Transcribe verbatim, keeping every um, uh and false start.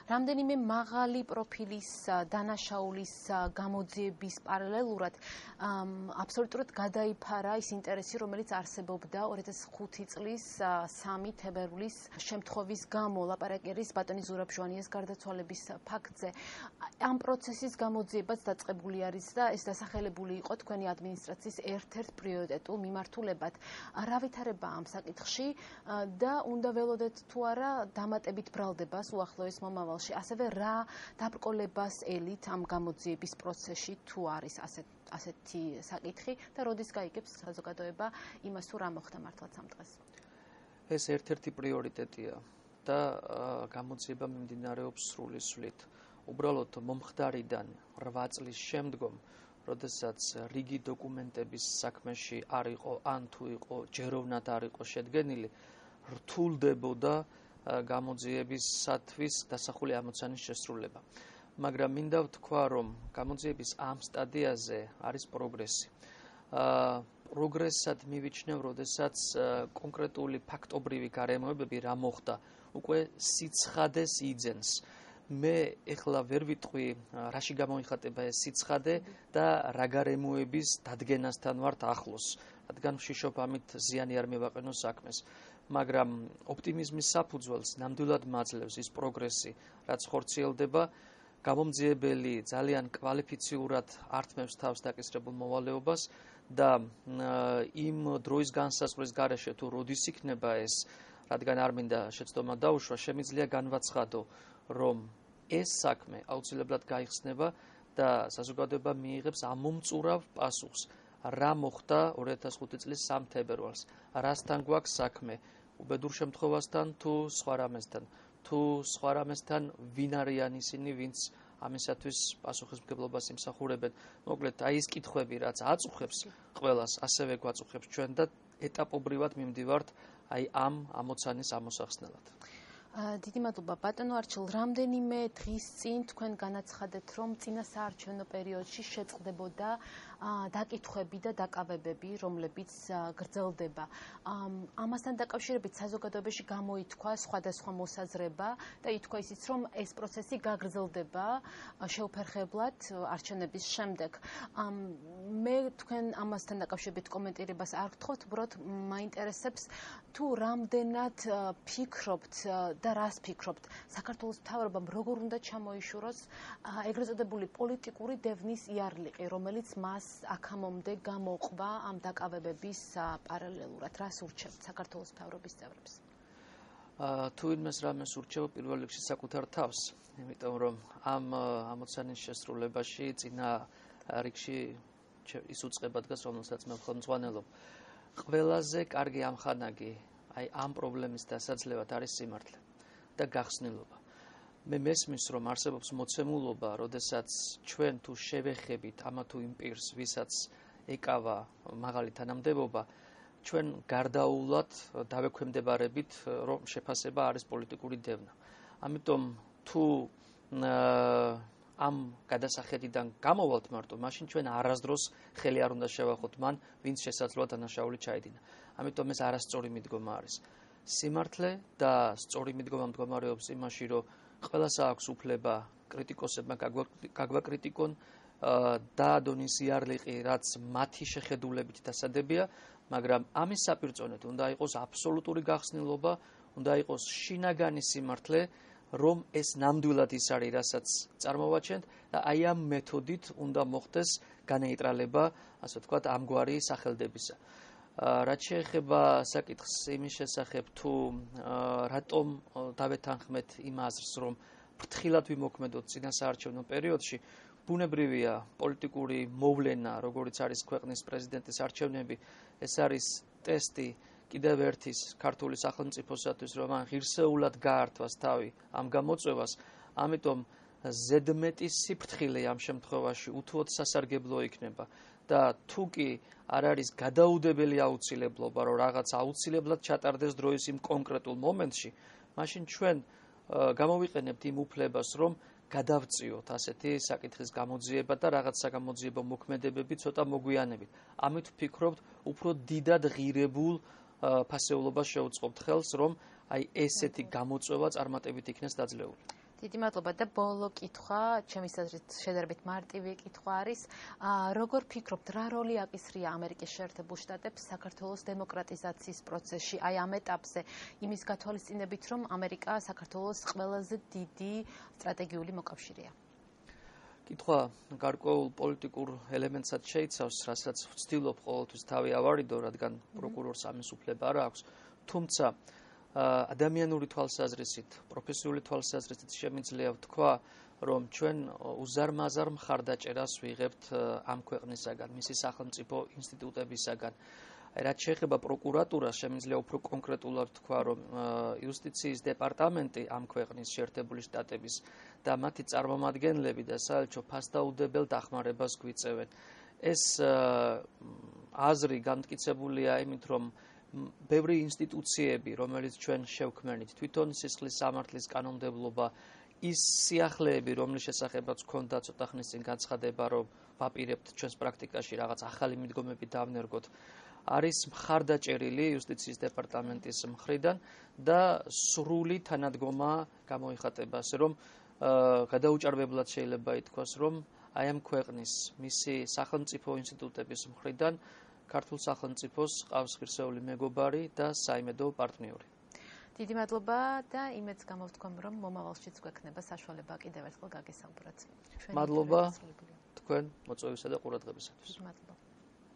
რამდენიმე მაღალი პროფილის დანაშაულის გამოძიების პარალელურად აბსოლუტურად გადაიფარა ის ინტერესი, რომელიც არსებობდა ორი ათას ხუთი წლის სამი თებერვლის შემთხვევის გამო, ლაპარაკი არის ბატონი ზურაბ-ჟვანიას გარდაცვალების ფაქტზე. ამ პროცესის გამოძიებაც დაწყებული არის და ეს დასახელებული იყო თქვენი ადმინისტრაციის ერთ-ერთ პრიორიტეტულ მიმართულებად. რა ვითარება ამ საკითხში და უნდა ველოდეთ თუ არა დამატებით ბრალდებას უახლოეს მომავალში, ასევე რა დაბრკოლებას ელით ამ გამოძიების პროცესში თუ არის ასეთ ასეთი საკითხი და როდის გაიგებს საზოგადოება იმას თუ რა მოხდა მართლაც ამ დღეს. ეს ერთ-ერთი პრიორიტეტია და გამოძიება მიმდინარეობს სრული სვლით. უბრალოდ მომხდარიდან რვა წლის შემდგომ, როდესაც რიგი დოკუმენტების საქმეში არ იყო ან თუ იყო ჯეროვნად არ იყო შედგენილი, რთულდებოდა გამოძიებისათვის დასახული ამოცანის შესრულება. მაგრამ მინდა ვთქვა, რომ გამოძიების ამ სტადიაზე არის პროგრესი. პროგრესად მივიჩნევ, როდესაც კონკრეტული ფაქტობრივი გარემოებები რა მოხდა, უკვე სიცხადეს იძენს. მე ეხლა ვერ ვიტყვი, რაში გამოიხატება ეს სიცხადე და რა გარემოების დადგენასთან ვართ ახლოს, რადგან ვშიშობ ამით ზიანი არ მევაყენო საქმეს. მაგრამ ოპტიმიზმის საფუძველს ნამდვილად მაძლევს ის პროგრესი, რაც ხორციელდება. გამომძიებელი ძალიან კვალიფიციურად ართმევს თავს დაკისრებულ მოვალეობას და იმ დროის განსაზღვრის გარეშე თუ როდის იქნება ეს, რადგან არ მინდა შეცდომა დაუშვა, შემიძლია განვაცხადო, რომ ეს საქმე აუცილებლად გაიხსნება და საზოგადოება მიიღებს ამომწურავ პასუხს. რა მოხდა ორი ათას ხუთი წლის სამი თებერვალს, რასთან გვაქვს საქმე, უბედურ შემთხვევასთან თუ სხვა რამესთან, თუ სხვა რამესთან ვინ არიან ისინი, ვინც ამისათვის პასუხისმგებლობას იმსახურებენ. მოკლედ, აი ეს კითხვები, რაც აწუხებს ყველას, ასევე გვაწუხებს ჩვენ და ეტაპობრივად მიმდივართ აი ამ ამოცანის ამოსახსნელად. დიდი მადლობა ბატონო არჩილ, რამდენიმე დღის წინ თქვენ განაცხადეთ, რომ წინა საარჩევნო პერიოდში შეწყდებოდა დაკითხვები და დაკავებები, რომლებიც გრძელდება. ამასთან დაკავშირებით საზოგადოებაში გამოითქვა სხვადასხვა მოსაზრება და ითქვა ისიც, რომ ეს პროცესი გაგრძელდება შეუფერხებლად არჩევნების შემდეგ. მე თქვენ ამასთან დაკავშირებით კომენტირებას არ გთხოვთ, უბრალოდ მაინტერესებს თუ რამდენად ფიქრობთ და რას ფიქრობთ, საქართველოს მთავრობამ როგორ უნდა ჩამოიშუროს ეგრეთ წოდებული პოლიტიკური დევნის იარლიყი, რომელიც მას აქამდე გამოყვა ამ დაკავებების პარალელურად. რას ურჩევთ საქართველოს მთავრობის წევრებს? თუ ვინმეს რამეს ურჩევ, პირველ რიგში საკუთარ თავს, იმიტომ რომ ამ ამოცანის შესრულებაში წინა რიგში ის უწყება დგას, რომელსაც მე ხელმძღვანელობ. ყველაზე კარგი ამხანაგი აი ამ პრობლემის დასაძლევად არის სიმართლე და გახსნილობა. მე მესმის, რომ არსებობს მოცემულობა, როდესაც ჩვენ თუ შევეხებით ამა თუ იმ პირს, ვისაც ეკავა მაღალი თანამდებობა, ჩვენ გარდაულად დავექვემდებარებით, რომ შეფასება არის პოლიტიკური დევნა. ამიტომ თუ ამ გადასახედიდან გამოვალთ მარტო, მაშინ ჩვენ არასდროს ხელი არ უნდა შევახოთ მან, ვინც შესაძლოა დანაშაული ჩაედინა. ამიტომ ეს არასწორი მიდგომა არის. სიმართლე და სწორი მიდგომა მდგომარეობს იმაში, რომ ყველას აქვს უფლება კრიტიკოსებმა გაგვაკრიტიკონ და დონის იარლიყი, რაც მათი შეხედულებით დასადებია, მაგრამ ამის საპირწონედ უნდა იყოს აბსოლუტური გახსნილობა, უნდა იყოს შინაგანი სიმართლე, რომ ეს ნამდვილად ის არის, რასაც წარმოვაჩენთ და აი ამ მეთოდით უნდა მოხდეს განეიტრალება, ასე ვთქვათ, ამგვარი სახელდებისა. რაც შეეხება საკითხს იმის შესახებ, თუ რატომ დავეთანხმეთ იმ აზრს, რომ ფრთხილად ვიმოქმედოთ წინა საარჩევნო პერიოდში, ბუნებრივია პოლიტიკური მოვლენა, როგორიც არის ქვეყნის პრეზიდენტის არჩევნები, ეს არის ტესტი კიდევ ერთის ქართული სახელმწიფოსათვის, რომ მან ღირსეულად გაართვას თავი ამ გამოწვევას, ამიტომ ზედმეტი სიფრთხილე ამ შემთხვევაში უთუოდ სასარგებლო იქნება და თუ კი არ არის გადაუდებელი აუცილებლობა, რომ რაღაც აუცილებლად ჩატარდეს დროის იმ კონკრეტულ მომენტში, მაშინ ჩვენ გამოვიყენებთ იმ უფლებას, რომ გადავწიოთ ასეთი საკითხის გამოძიება და რაღაც საგამოძიებო მოქმედებები ცოტა მოგვიანებით. ამით ვფიქრობთ, უფრო დიდად ღირებულ ფასეულობას შეუწყობთ ხელს, რომ აი ესეთი გამოწვევა წარმატებით იქნეს დაძლეული. დიდი მადლობა და ბოლო კითხვა, ჩემის აზრით შედარებით მარტივი კითხვა არის, როგორ ფიქრობთ, რა როლი აკისრია ამერიკის შეერთებულ შტატებს საქართველოს დემოკრატიზაციის პროცესში, აი ამ ეტაპზე, იმის გათვალისწინებით, რომ ამერიკა საქართველოს ყველაზე დიდი სტრატეგიული მოკავშირეა? კითხვა გარკვეულ პოლიტიკურ ელემენტსაც შეიცავს, რასაც ვცდილობ ყოველთვის თავი ავარიდო, რადგან პროკურორს ამის უფლება არ აქვს, თუმცა ადამიანური თვალსაზრისით, პროფესიული თვალსაზრისით შემიძლია ვთქვა, რომ ჩვენ უზარმაზარ მხარდაჭერას ვიღებთ ამ ქვეყნისაგან, მისი სახელმწიფო ინსტიტუტებისაგან. რაც შეეხება პროკურატურას, შემიძლია უფრო კონკრეტულად ვთქვა, რომ იუსტიციის დეპარტამენტი ამ ქვეყნის შეერთებული შტატების და მათი წარმომადგენლები და საელჩო ფასდაუდებელ დახმარებას გვიწევენ. ეს აზრი განმტკიცებულია იმით, რომ ბევრი ინსტიტუციები, რომელიც ჩვენ შევქმნით, თვითონ სისხლის სამართლის კანონმდებლობა, ის სიახლეები, რომლის შესახებაც გქონდა ცოტა ხნის წინ განცხადება, რომ ვაპირებთ ჩვენს პრაქტიკაში რაღაც ახალი მიდგომები დავნერგოთ, არის მხარდაჭერილი იუსტიციის დეპარტამენტის მხრიდან და სრული თანადგომა გამოიხატება, ასე რომ გადაუჭარბებლად შეიძლება ითქვას, რომ აი ამ ქვეყნის მისი სახელმწიფო ინსტიტუტების მხრიდან ქართულ სახელმწიფოს ყავს ღირსეული მეგობარი და საიმედო პარტნიორი. დიდი მადლობა და იმედს გამოვთქვამ, რომ მომავალშიც გვექნება საშუალება კიდევ ერთხელ გაგესაუბროთ. მადლობა თქვენ მოწვევისა და ყურადღებისათვის. დიდი მადლობა.